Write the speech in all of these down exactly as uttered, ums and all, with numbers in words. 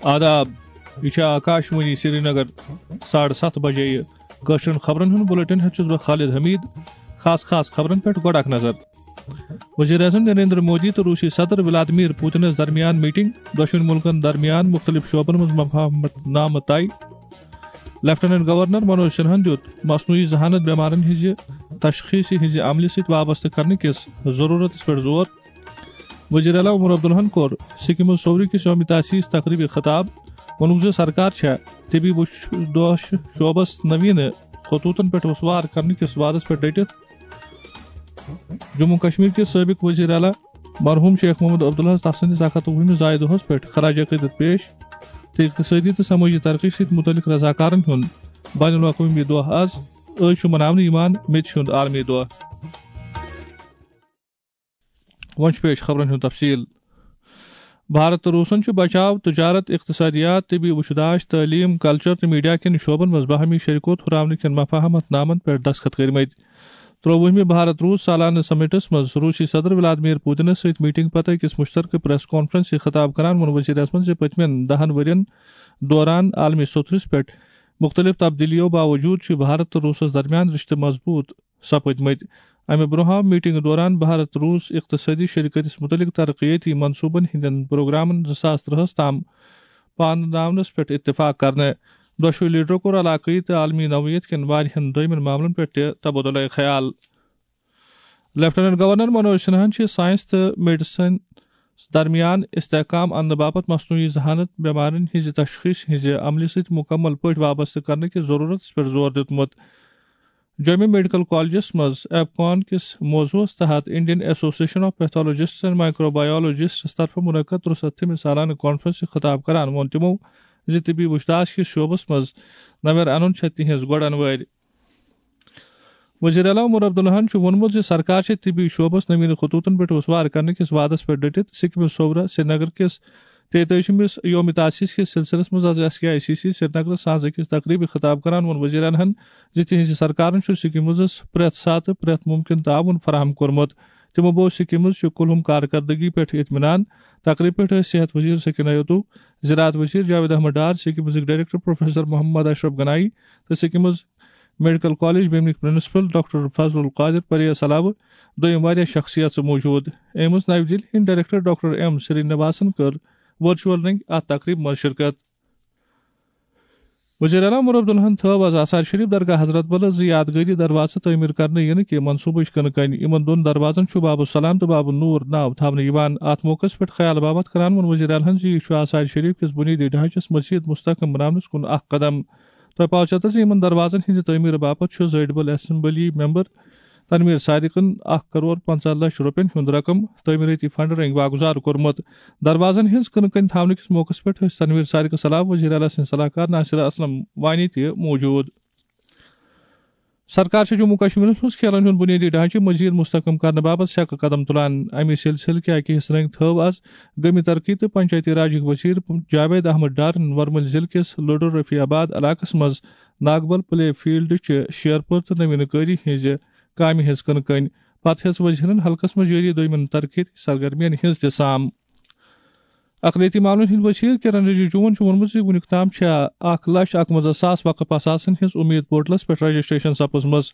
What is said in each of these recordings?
آداب، یہِ چھِ آکاش وانی سرینگر۔ ساڑٕ ستھ بجے یہِ کٲشرٮ۪ن خبرن ہُنٛد بُلٹن ہٮ۪تھ چھُس بہٕ خالد حمید۔ خاص خاص خبرن پٮ۪ٹھ گۄڈٕ اکھ نظر۔ وزیر اعظم نریندر مودی تہٕ روسی صدر ولادمیر پوتنس درمیان میٹنگ، دۄشوٕنۍ مُلکن درمیان مُختٔلِف شعبن منٛز مفاہمت نامہٕ طے۔ لیفٹیننٹ گورنر منوج سنہن دیُت مصنوعی ذہانت بٮ۪مارن ہٕنٛزِ تشخیصہِ ہٕنٛزِ عملہِ سۭتۍ وابستہٕ کرنہٕ کِس ضروٗرتس پٮ۪ٹھ زور۔ وزیر اعلیٰ عمر عبداللہن کوٚر سکمز صوورِ کِس یوم تاسیس تقریبہِ خطاب۔ ووٚنُن زِ سرکار چھےٚ طبی وش-، دوش شعبس نوینہٕ خطوطن پٮ۪ٹھ استوار کرنہٕ کِس وعدس پٮ۪ٹھ ڈٔٹِتھ۔ جموں کشمیر کِس سٲبق وزیر اعلیٰ مرحوم شیخ محمد عبداللہس تسٕنٛدِس اکھ ہتھ وُہمِس زایہِ دۄہس پٮ۪ٹھ خراج عقیدت پیش تہٕ اقتصٲدی تہٕ سمٲجی ترقی سۭتۍ متعلق رضاکارن ہُنٛد بین الاقوٲمی دۄہ از۔ أزۍ چھُ مناونہٕ یِوان میٚژِ ہُنٛد عالمی دۄہ۔ وۄنۍ چھُ پیش خبرن ہُنٛد تفصیل۔ بھارت تہٕ روٗسن چھُ بچاو، تجارت، اقتصادیات، طبی وُچھداش، تعلیم، کلچر تہٕ میڈیا کٮ۪ن شعبن منٛز باہمی شریکوت ہُراونہٕ کٮ۪ن مفاہمت نامن پٮ۪ٹھ دستخط کٔرمٕتۍ۔ ترٛووُہمہِ بھارت روٗس سالانہٕ سمٹس منٛز روٗسی صدر ولادمیر پوتنس سۭتۍ میٹنگ پتہٕ أکِس مشترکہٕ پریس کانفرنس سۭتۍ خطاب کران ووٚن وزیر اعظمن زِ پٔتمٮ۪ن دہن ؤرین دوران عالمی سوٚتھرِس پٮ۪ٹھ مُختٔلِف تبدیٖلیو باوجوٗد چھُ بھارت تہٕ روٗسَس درمیان رِشتہٕ مضبوٗط سپٕدمٕتۍ۔ اَمہِ برٛونٛہہ آو میٖٹِنٛگہِ دوران بھارت روٗس اقتصٲدی شراکتس مُتعلِق ترقیتی منصوٗبن ہٕنٛدٮ۪ن پروگرامن زٕ ساس ترٛہَس تام پانہٕ ناونس پٮ۪ٹھ اتفاق کرنہٕ۔ دۄشوٕے لیڈرو کوٚر علاقٲیی تہٕ عالمی نوعیت کٮ۪ن واریاہن دویمٮ۪ن معاملن پٮ۪ٹھ تہِ تبادلہ خیال۔ لیفٹیننٹ گورنر منوج سنہاہن چھِ سائنس تہٕ میڈیسن درمیان استحکام اننہٕ باپتھ مصنوعی ذہانت، بٮ۪مارٮ۪ن ہٕنٛزِ تشخیص ہٕنٛزِ عملہِ سۭتۍ مُکمل پٲٹھۍ وابستہٕ کرنہٕ کِس ضروٗرتس پٮ۪ٹھ زور دیُتمُت۔ جومہِ میڈیکل کالجس منٛز ایپکان کِس موضوعس تحت انڈین ایسوسیشن آف پیتھولوجسٹس اینڈ مائیکروبایولوجسٹس طرفہٕ منعقد ترٛوٚو سَتتھمہِ سالانہٕ کانفرنسہِ خطاب کران ووٚن تِمو زِ طبی وُچھداش کِس شعبس منٛز نویر انُن چھےٚ تِہنٛز گۄڈن وٲرۍ۔ وزیر اعلیٰ عمر عبداللہن چھُ ووٚنمُت زِ سرکار چھِ طبی شعبس نوین خطوطن پٮ۪ٹھ استوار کرنہٕ کِس وعدس پٮ۪ٹھ ڈٔٹِتھ۔ سکمز صوورہ سرینگر کِس تیتٲجِمِس یوم تاسیس کِس سلسلس منٛز آز S K I C C سرینگرس ساز أکِس تقریبہِ خطاب کران ووٚن وزیر اعلیٰ ہن زِ تِہنٛزِ سرکارن چھُ سکمزس پرٛٮ۪تھ ساتہٕ پرٛٮ۪تھ مُمکِن تعاوُن فراہم کوٚرمُت۔ تِمو بوز سکمز چہِ کُلہُم کارکردگی پٮ۪ٹھ اطمینان۔ تقریبہِ پٮ۪ٹھ ٲسۍ صحت وزیر سکینہ یتو، زراعت وزیر جاوید احمد ڈار، سکمزٕکۍ ڈائریکٹر پروفیسر محمد اشرف گنائی تہٕ سکمز میڈیکل کالج بیمنٕکۍ principal doctor Fazl ul Qadir press علاوٕ دوٚیِم واریاہ شخصیژٕ موجود۔ ایمز نَیہِ دِلہِ ہٕنٛدۍ ڈائریکٹر ڈاکٹر ایم سری نواسن کٔر ورچوئل رنگۍ اتھ تقریبہِ منٛز شرکت۔ وزیر اعلیٰ عمر عبداللہن تھٲو آز آثار شریف درگاہ حضرت بلس زٕ یادگٲری دروازٕ تعمیٖر کرنہٕ یِنہٕ کہِ منصوٗبٕچ کٕنہٕ کَنۍ۔ یِمن دۄن دروازن چھُ باب السلام تہٕ باب النور ناو تھاونہٕ یِوان۔ اتھ موقعس پٮ۪ٹھ خیال باپتھ کران ووٚن وزیر اعلیٰ ہن زِ یہِ چھُ آثار شریف کِس بنیٲدی ڈھانچس مزید مستحکم بناونس کُن اکھ قدم۔ تۄہہِ پاو چتس زِ یِمن دروازن ہٕنٛدِ تعمیٖر باپتھ چھُ زٲیڈ بل اسمبلی ممبر تنویر صادقن اکھ کرور پنژاہ لچھ رۄپین ہُنٛد رقم تعمیٖرٲتی فنڈ رنگۍ واگُزار کوٚرمُت۔ دروازن ہٕنٛز کٕنہٕ کَنۍ تھاونہٕ کِس موقعس پٮ۪ٹھ ٲسۍ تنویر صادقس علاوٕ وزیر اعلیٰ سٕنٛدۍ صلاح کار ناصر اسلم وانی تہِ موجود۔ سرکار چھِ جموں کشمیرس منٛز کھیلن ہُنٛد بنیٲدی ڈھانچہٕ مزید مستحکم کرنہٕ باپتھ سیٚکہٕ قدم تُلان۔ اَمہِ سلسلہٕ کہِ اکہِ حصہٕ رنگۍ تھٲو آز گٲمی ترقی تہٕ پنچایتی راجٕکۍ وزیر جاوید احمد ڈارن ورمُلۍ ضلعہٕ کِس لڈو رفیع آباد علاقس منٛز ناگبل پلے فیلڈ چہِ شیرپور تہٕ نوینہٕ کٲری ہٕنٛزِ کامہِ ہٕنٛز کٕنہٕ کٔنۍ۔ پتہٕ ہیٚژ وزیرن حلقس منٛز جٲری دوٚیمٮ۪ن ترقیتی سرگرمین ہٕنٛز تہِ سام۔ اقلیتی معاملن ہٕنٛدۍ وزیر کرن رجیجوَن چھُ ووٚنمُت زِ وُنیُک تام چھےٚ اکھ لچھ اکوَنزاہ ساس وقف اثاثن ہٕنٛز اُمید پورٹلس پٮ۪ٹھ رجسٹریشن سپٕزمٕژ۔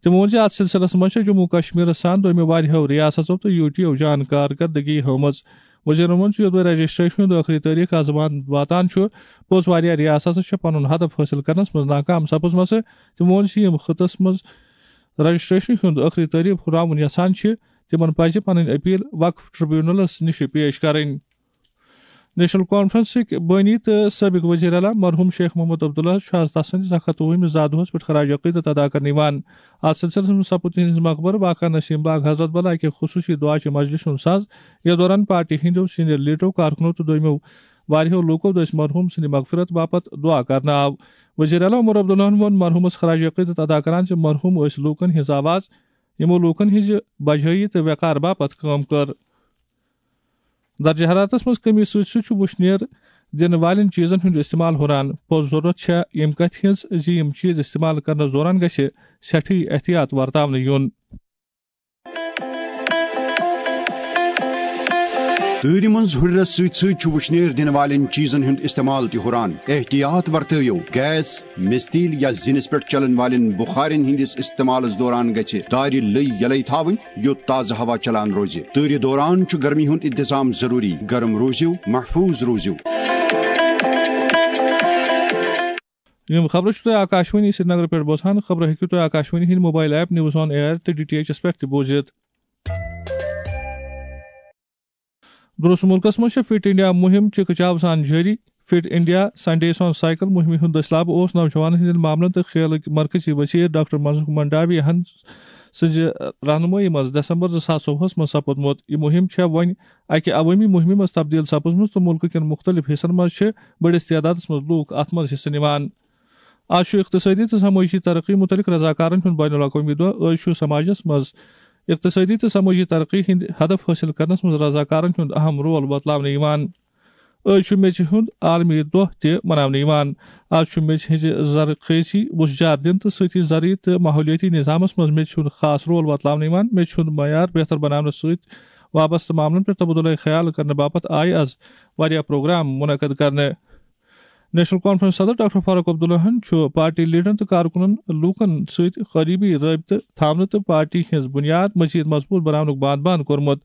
تِمو ووٚن زِ اتھ سلسلس منٛز چھےٚ جموں کشمیرس سان دوٚیمہِ واریاہو ریاستو تہٕ یو ٹی او جان کارکردگی ہٲومٕژ۔ وزیرن ووٚن زِ یوٚدوے رجسٹریشن ہُنٛد ٲخری تٲریخ آز وان-، واتان چھُ، پوٚز واریاہ ریاستہٕ چھِ پنُن ہدف حٲصِل کرنس منٛز ناکام سپٕزمژٕ۔ تِمو ووٚن زِ یِم خطس منٛز رجسٹریشن ہُنٛد ٲخری تٲریخ ہُراوُن یژھان چھِ، تِمن پزِ پنٕنۍ اپیل وقف ٹریبونلس نِش پیش کرٕنۍ۔ نیشنل کانفرنسٕکۍ بٲنی تہٕ سٲبق وزیر اعلیٰ مرحوم شیخ محمد عبداللہ چھُ آز تسٕنٛدِس اکھ ہتھ وُہمِس زا دۄہس پٮ۪ٹھ خراج عقیدت ادا کرنہٕ یِوان۔ اتھ سلسلس منٛز سپُد تِہنٛدِس مقبرٕ واقع نسیم باغ حضرت بل اکہِ خصوصی دعا چہِ مجلسہِ ہُنٛد ساز، یتھ دوران پارٹی ہٕنٛدیو سینئر لیڈرو، کارکنو تہٕ دویمو واریاہو لوٗکو دٔسۍ مرحوم سٕنٛدِ مغفرت باپتھ دعا کرنہٕ آو۔ وزیر اعلیٰ عمر عبداللہن ووٚن مرحومس خراج عقیدت ادا کران زِ مرحوم ٲسۍ لوٗکن ہٕنٛز آواز، یِمو لوٗکن ہٕنٛزِ بجٲیی تہٕ وقار باپتھ کٲم کٔر۔ درجہ حرارتس منٛز کمی سۭتۍ سۭتۍ چھُ وُشنیر دِنہٕ والٮ۪ن چیٖزن ہُنٛد استعمال ہُران۔ پوٚز ضروٗرت چھےٚ ییٚمہِ کتھِ ہٕنٛز زِ یِم چیٖز استعمال کرنس دوران گژھِ سٮ۪ٹھٕے احتیاط ورتاونہٕ یُن۔ تۭرِ منٛز ہُرِرس سۭتۍ سۭتۍ چھُ وُشنیر دِنہٕ والٮ۪ن چیٖزن ہُنٛد استعمال تہِ ہُران۔ احتیاط ورتٲیِو، گیس، مِستیٖل یا زِنِس پٮ۪ٹھ چلن والٮ۪ن بُخارٮ۪ن ہٕنٛدِس استعمالس دوران گژھِ دارِ لٔۍ یلے تھاوٕنۍ، یوٚت تازٕ ہوا چلان روزِ۔ تۭرِ دوران چھُ گرمی ہُنٛد انتظام ضروٗری۔ گرم روٗزِو، محفوٗظ روٗزِو۔ یِم خبرٕ چھِو تُہۍ آکاشوانی سرینگرٕ پٮ۪ٹھ بوزان۔ خبرٕ ہیٚکِو تُہۍ آکاشوانی ہٕنٛدِ mobile app News on Air تہٕ D T H-س پٮ۪ٹھ تہِ بوٗزِتھ۔ درست مُلکَس منٛز چھِ فٹ انڈیا مُہِم چِکہٕ چاو سان جٲری۔ فٹ انڈیا سنڈے سان سائیکل مُہِمہِ ہُنٛد دٔسلابہٕ اوس نوجوانَن ہٕنٛدٮ۪ن معاملن تہٕ کھیلٕکۍ مرکزی وزیر ڈاکٹر منسوخ منڈاوی ہن سٕنٛزِ رہنمٲیی منٛز دسمبر زٕ ساس ژوٚوُہَس منٛز سپُدمُت۔ یہِ مُہِم چھےٚ وۄنۍ اَکہِ عوٲمی مُہِمہِ منٛز تبدیٖل سپٕزمٕژ تہٕ مُلکہٕ کٮ۪ن مُختٔلِف حصن منٛز چھِ بٔڑِس تعدادَس منٛز لوٗکھ اَتھ منٛز حصہٕ نِوان۔ آز چھُ اقتصٲدی تہٕ سمٲجی ترقی مُتعلق رضاکارن ہُنٛد بین الاقوٲمی دۄہ۔ أزۍ چھُ سماجس منٛز اقتصٲدی تہٕ سمٲجی ترقی ہٕنٛدۍ ہدف حٲصِل کرنس منٛز رضاکارن ہُنٛد اہم رول بتلاونہٕ یِوان۔ أزۍ چھُ میٚژِ ہُنٛد عالمی دۄہ تہِ مناونہٕ یِوان۔ آز چھُ میٚژِ ہٕنٛزِ زرخیزی وُژھ جار دِنہٕ تہٕ سۭتی زرعی تہٕ ماحولیٲتی نظامس منٛز میٚژِ ہُنٛد خاص رول بتلاونہٕ یِوان۔ میٚژِ ہُنٛد معیار بہتر بناونس سۭتۍ وابستہٕ معاملن پٮ۪ٹھ تبادلہ خیال کرنہٕ باپتھ آیہِ از واریاہ پروگرام منعقد کرنہٕ۔ نیشنل کانفرنس صدر ڈاکٹر فاروق عبداللہن چھُ پارٹی لیڈرن تہٕ کارکُنن لوٗکن سۭتۍ قریبی رٲبطہٕ تھاونہٕ تہٕ پارٹی ہٕنٛز بُنیاد مزید مضبوٗط بناونُک بان بان کوٚرمُت۔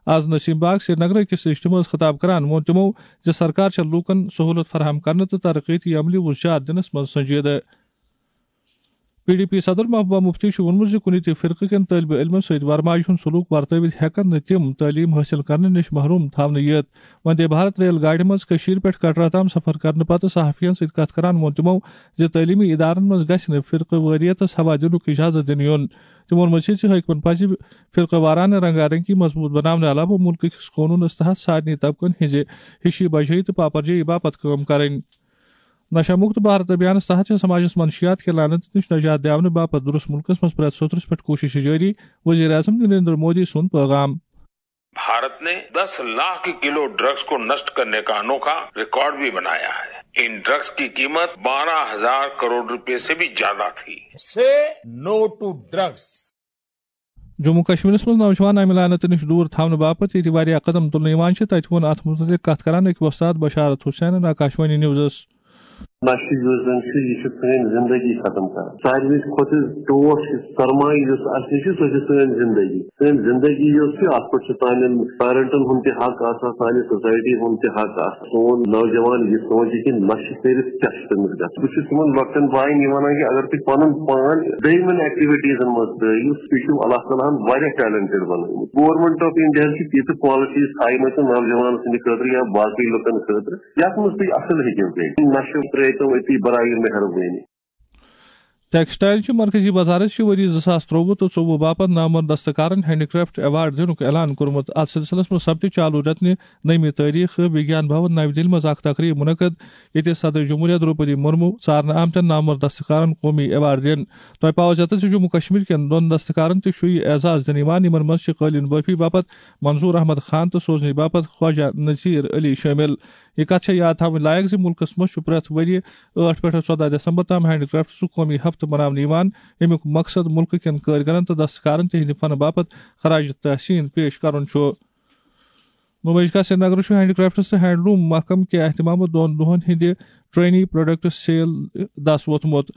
از نسیم باغ سرینگرٕ أکِس اجتماعس خطاب کران ووٚن تِمو زِ سرکار چھےٚ لوٗکن سہولت فراہم کرنہٕ تہٕ ترقیتی عملی وُژھ جار دِنس منٛز سنجیدٕ۔ پی ڈی پی صدر محبوبہ مفتی چھُ ووٚنمُت زِ کُنہِ تہِ فرقہٕ کٮ۪ن طٲلبہِ علمن سۭتۍ ورماجہِ ہُنٛد سلوک ورتٲوِتھ ہٮ۪کن نہٕ تِم تعلیٖم حٲصِل کرنہٕ نِش محروم تھاونہٕ یِتھ۔ وندے بھارت ریل گاڑِ منٛز کٔشیٖرِ پٮ۪ٹھ کٹرا تام سفر کرنہٕ پتہٕ صحافین سۭتۍ کتھ کران ووٚن تِمو زِ تعلیمی ادارن منٛز گژھِ نہٕ فرقہٕ وٲریتس ہوا دِنُک اجازت دِنہٕ یُن۔ تِمو ووٚن مزید زِ حٲکمن پزِ فرقہٕ وارانہٕ رنگا رنگی مضبوط بناونہٕ علاوٕ مُلکہٕ کِس قونوٗنس تحت سارنٕے طبقن ہٕنٛزِ ہِشی بجٲیی تہٕ پاپرجٲیی باپتھ کٲم کرٕنۍ۔ نشہ مکت بھارت ابھیانس تحت چھِ سماجس منشیات کہِ لعنت نِش نجات دِنہٕ باپتھ درست مُلکس منٛز پرٛٮ۪تھ سطرس پٮ۪ٹھ کوٗشش جٲری، وزیر اعظم نریندر مودی سُنٛد پیغام۔ بھارت نے دس لاکھ کلو ڈرگز کو نشٹ کرنے کا انوکھا ریکارڈ بھی بنایا ہے۔ ان ڈرگز کی قیمت بارہ ہزار کروڑ روپے سے بھی زیادہ تھی۔ Say no to drugs. Jammu کشمیرس منٛز نوجوان امہِ لعنتہٕ نِش دوٗر تھاونہٕ باپتھ ییٚتہِ واریاہ قدم تُلنہٕ یِوان چھِ، تَتہِ ووٚن اَتھ مُتعلِق کَتھ کران أکۍ وۄستاد بشارت حسینن آکاشوانی نیوزس۔ نشہٕ یُس زن چھُ، یہِ چھُ سٲنۍ زندگی ختم کران۔ ساروی کھۄتہٕ ٹوٹھ چھُ سرمایہِ یُس اَسہِ نِش چھُ، سۄ چھِ سٲنۍ زندگی۔ سٲنۍ زندگی یۄس چھِ، اَتھ پٮ۪ٹھ چھُ سانٮ۪ن پیرنٹن ہُنٛد تہِ حق آسان، سانہِ سوسایٹی ہُنٛد تہِ حق آسان۔ سون نوجوان یہِ سونچہِ کہِ نشہٕ کٔرِتھ کیٛاہ چھُ تٔمِس گژھان۔ بہٕ چھُس تِمن لۄکٹٮ۪ن باین یہِ ونان کہِ اگر تُہۍ پنُن پان بیٚیہِ یِمن ایکٹیویٹیٖزن منٛز ترٲیِو، تُہۍ چھِو اللہ تعالیٰ ہن واریاہ ٹیلنٹڈ بنٲومٕتۍ۔ گورنمنٹ آف انڈیا ہن چھِ تیٖژٕ کوالٹیٖز تھایمژٕ نوجوانن ہٕنٛدِ خٲطرٕ یا باقٕے لُکن خٲطرٕ، یتھ منٛز تُہۍ اصل ہیٚکِو کٔرِتھ۔ نشہٕ ترٲیتو أتی برایہِ مہربٲنی۔ ٹیکسٹائل چہِ مرکزی وزارت چھِ ؤری زٕ ساس ترٛۆوُہ تہٕ ژوٚوُہ باپتھ نامور دستکارن ہینڈی کرافٹ ایوارڈ دِنُک اعلان کوٚرمُت۔ اتھ سلسلس منٛز سپدِ چالو رتنہِ نٔیمہِ تٲریخ ویگیان بھون نَوِ دِلہِ منٛز اکھ تقریب منعقد، ییٚتہِ صدر جمہوریہ درٛوپدی مرمو ژارنہٕ آمتٮ۪ن نامور دستکارن قومی ایوارڈ دِن۔ تۄہہِ پاوو زیادٕ زِ جموں کشمیر کٮ۪ن دۄن دستکارن تہِ چھُ یہِ اعزاز دِنہٕ یِوان، یِمن منٛز چھِ قٲلیٖن بٲفی باپتھ منظور احمد خان تہٕ سوزنی باپتھ خواجہ نذیر علی شٲمِل۔ یہِ کتھ چھےٚ یاد تھاوٕنۍ لایق زِ مُلکس منٛز چھُ پرٛٮ۪تھ ؤرۍ یہِ ٲٹھ پٮ۪ٹھ ژۄدہ دسمبر تام ہینڈی کرافٹسُک قومی ہفتہٕ مناونہٕ یِوان، ییٚمیُک مقصد مُلکہٕ کٮ۪ن کٲرۍگرن تہٕ دستکارن تِہنٛدِ فنہٕ باپتھ خراج تحسین پیش کرُن چھُ۔ نمائش گاہ سرینگرٕ چھُ ہینڈی کرافٹس تہٕ ہینڈلوم محکمہٕ کہِ اہتمامہٕ دۄن دۄہن ہٕنٛدِ ٹرینی پروڈکٹ سیل دس ووتمُت۔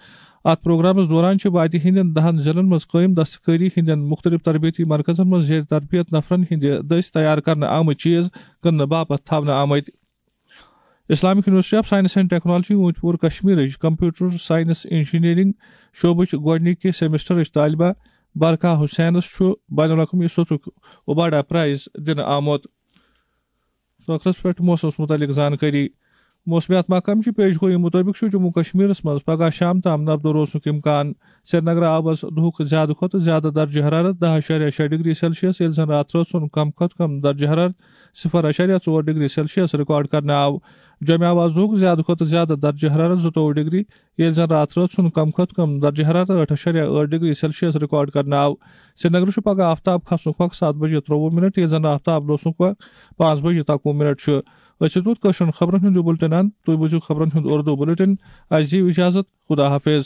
اتھ پروگرامس دوران چھِ وادی ہٕنٛدٮ۪ن دہن ضلعن منٛز قٲیِم دستکٲری ہٕنٛدٮ۪ن مُختٔلِف تربیتی مرکزن منٛز زیر تربیت نفرن ہٕنٛدِ دٔسۍ تیار کرنہٕ آمٕتۍ چیز کٕننہٕ باپتھ تھاونہٕ آمٕتۍ۔ Islamic university of science and technology Awantipora کشمیرٕچ کمپیوٹر سائنس انجینئرنگ شعبٕچ گۄڈٕنِکہِ سیمسٹرٕچ طالبہ برکھا حسینس چھُ بین الاقوامی سطحُک اوباڈا پرائز دِنہٕ آمُت۔ ٲخرس پٮ۪ٹھ موسمس مُتعلق زانکٲری۔ موسمیات محکمہٕ چہِ پیش گویی مُطٲبِق چھُ جموں کشمیرس منٛز پگہہ شام تام نبدو روزنُک امکان۔ سرینگرٕ آو از دُہُک زیادٕ کھۄتہٕ زیادٕ درجہ حرارت دَہ اَشاریہ شےٚ ڈگری سیلسیس، ییٚلہِ زن راتھ رٲژ ہُنٛد کم کھۄتہٕ کم درجہ حرارت صفر اَشاریہ ژور ڈگری سیلسیس ریکارڈ کرنہٕ آو۔ جوٚمہِ آو از دُہُک زیادٕ کھۄتہٕ زیادٕ درجہ حرارت زٕتووُہ ڈگری، ییٚلہِ زن راتھ رٲژ ہُنٛد کم کھۄتہٕ کم درجہ حرارت ٲٹھ اَشاریہ ٲٹھ ڈگری سیلسیس ریکارڈ کرنہٕ آو۔ سرینگرٕ چھُ پگہہ آفتاب کھسنُک وقت ستھ بجے ترٛۆوُہ منٹ، ییٚلہِ زن آفتاب لوسنُک وقت پانٛژھ بجے تکوُہ منٹ چھُ۔ أسۍ چھِ تیُتھ کٲشرٮ۪ن خبرن ہُنٛد یہِ بُلٹن اند۔ تُہۍ بوٗزِو خبرن ہُنٛد اردو بُلٹن۔ اَسہِ دِیِو اجازت۔ خدا حافظ۔